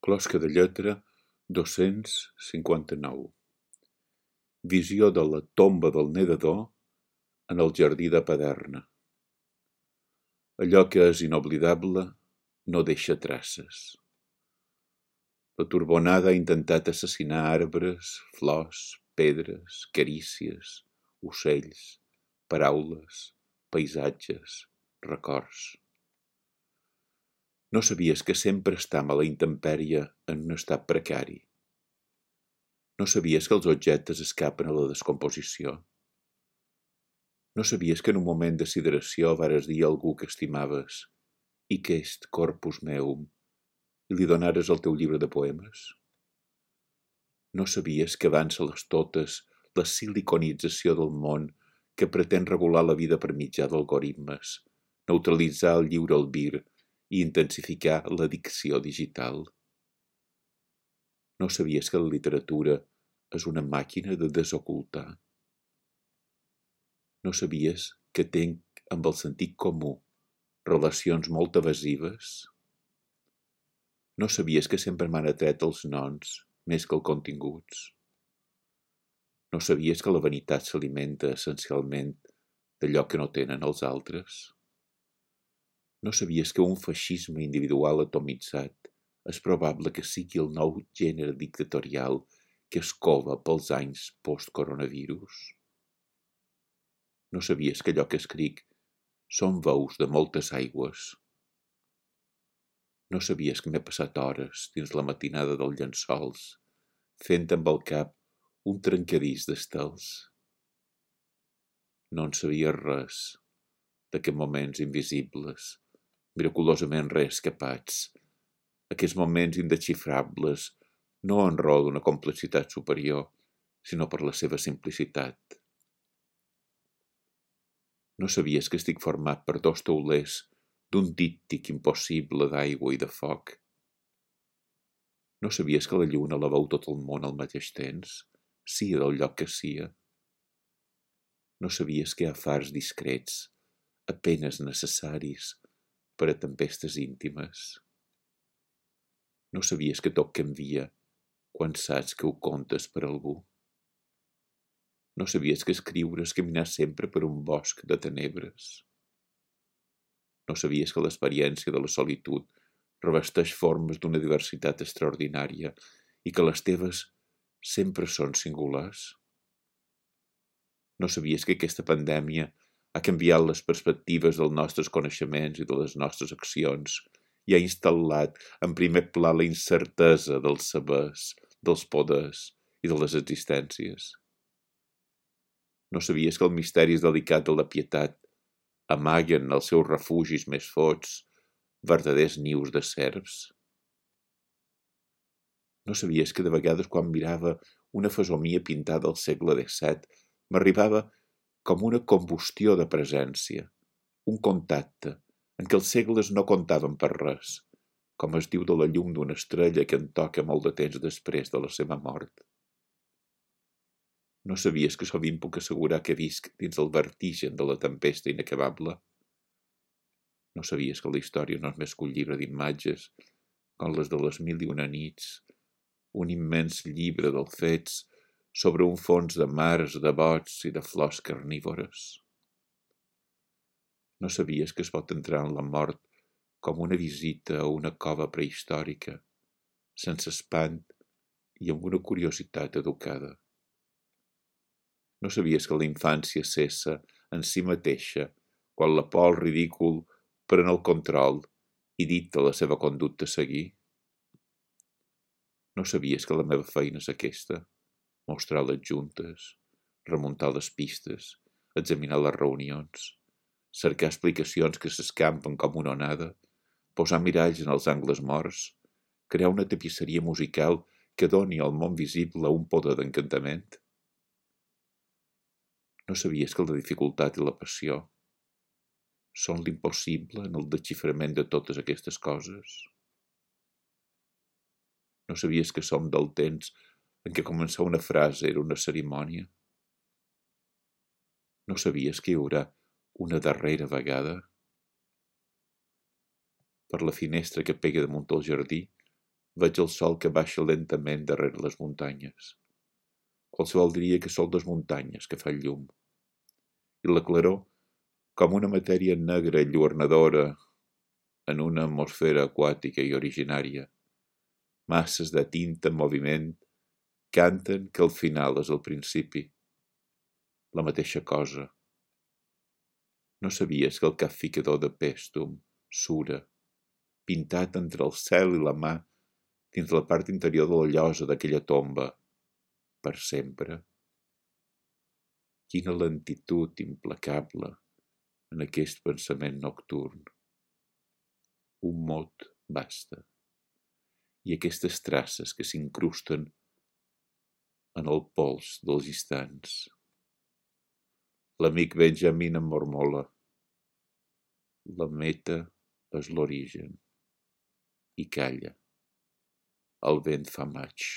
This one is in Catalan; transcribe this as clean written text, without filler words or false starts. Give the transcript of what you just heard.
Closca de lletra 259. Visió de la tomba del nedador en el jardí de Paderna. Allò que és inoblidable no deixa traces. La turbonada ha intentat assassinar arbres, flors, pedres, carícies, ocells, paraules, paisatges, records. No sabies que sempre estam a la intempèrie en un estat precari. No sabies que els objectes escapen a la descomposició. No sabies que en un moment de sideració vares dir a algú que estimaves «I que est corpus meum» i li donares el teu llibre de poemes? No sabies que avança les totes la siliconització del món que pretén regular la vida per mitjà d'algoritmes, neutralitzar el lliure albir i intensificar l'addicció digital? No sabies que la literatura és una màquina de desocultar? No sabies que tenc amb el sentit comú relacions molt evasives? No sabies que sempre m'han atret els noms més que els continguts? No sabies que la vanitat s'alimenta essencialment d'allò que no tenen els altres? No sabies que un feixisme individual atomitzat és probable que sigui el nou gènere dictatorial que es cova pels anys post-coronavirus? No sabies que allò que escric són veus de moltes aigües? No sabies que m'he passat hores dins la matinada dels llençols fent amb el cap un trencadís d'estels? No en sabies res d'aquests moments invisibles, miraculosament reescapats, aquests moments indesxifrables, no en raó d'una complexitat superior, sinó per la seva simplicitat. No sabies que estic format per dos taulers d'un díptic impossible d'aigua i de foc? No sabies que la lluna la veu tot el món al mateix temps, sia del lloc que sia? No sabies que hi ha fars discrets, apenes necessaris per a tempestes íntimes? No sabies que tot canvia quan saps que ho contes per algú? No sabies que escriure és caminar sempre per un bosc de tenebres? No sabies que l'experiència de la solitud revesteix formes d'una diversitat extraordinària i que les teves sempre són singulars? No sabies que aquesta pandèmia ha canviat les perspectives dels nostres coneixements i de les nostres accions i ha instal·lat en primer pla la incertesa dels sabers, dels poders i de les existències? No sabies que els misteris delicats de la pietat amaguen els seus refugis més fots verdaders nius de serps? No sabies que de vegades quan mirava una fesomia pintada al segle XVII m'arribava com una combustió de presència, un contacte en què els segles no comptaven per res, com es diu de la llum d'una estrella que en toca molt de temps després de la seva mort? No sabies que sovint puc assegurar que visc dins el vertigen de la tempesta inacabable? No sabies que la història no és més que un llibre d'imatges, com les de les mil i una nits, un immens llibre dels fets sobre un fons de mars, de bots i de flors carnívores? No sabies que es pot entrar en la mort com una visita a una cova prehistòrica, sense espant i amb una curiositat educada? No sabies que la infància cessa en si mateixa quan la por al ridícul pren el control i dicta la seva conducta a seguir? No sabies que la meva feina és aquesta? Mostrar les juntes, remuntar les pistes, examinar les reunions, cercar explicacions que s'escampen com una onada, posar miralls en els angles morts, crear una tapisseria musical que doni al món visible un poder d'encantament? No sabies que la dificultat i la passió són l'impossible en el desxiframent de totes aquestes coses? No sabies que som del temps en què començar una frase era una cerimònia? No sabies que hi haurà una darrera vegada? Per la finestra que pega damunt el jardí Veig el sol que baixa lentament darrere les muntanyes. Qualsevol diria que són les muntanyes que fan llum. I la claror, com una matèria negra i lluernadora en una atmosfera aquàtica i originària. Masses de tinta en moviment canten que el final és el principi. La mateixa cosa. No sabies que el capficador de Pèstum, Sura, pintat entre el cel i la mà, dins la part interior de la llosa d'aquella tomba, per sempre. Quina lentitud implacable en aquest pensament nocturn. Un mot basta. I aquestes traces que s'incrusten en el pols dels instants. L'amic Benjamin em mormola. La meta és l'origen. I calla. El vent fa maig.